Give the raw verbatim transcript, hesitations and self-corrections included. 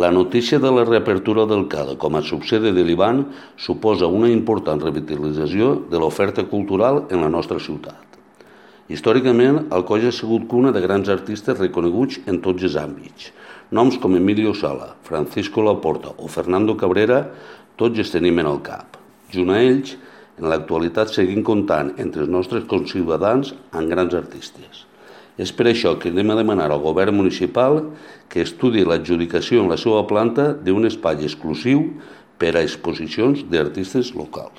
La notícia de la reapertura del CADA com a subsede de l'I B A N suposa una important revitalització de l'oferta cultural en la nostra ciutat. Històricament, Alcoy ha sigut cuna de grans artistes reconeguts en tots els àmbits. Noms com Emilio Sala, Francisco Laporta o Fernando Cabrera, tots els tenim en el cap. Junt a ells, en l'actualitat seguim comptant entre els nostres conciutadans amb grans artistes. És per això que anem a demanar al govern municipal que estudi l'adjudicació en la seva planta d'un espai exclusiu per a exposicions d'artistes locals.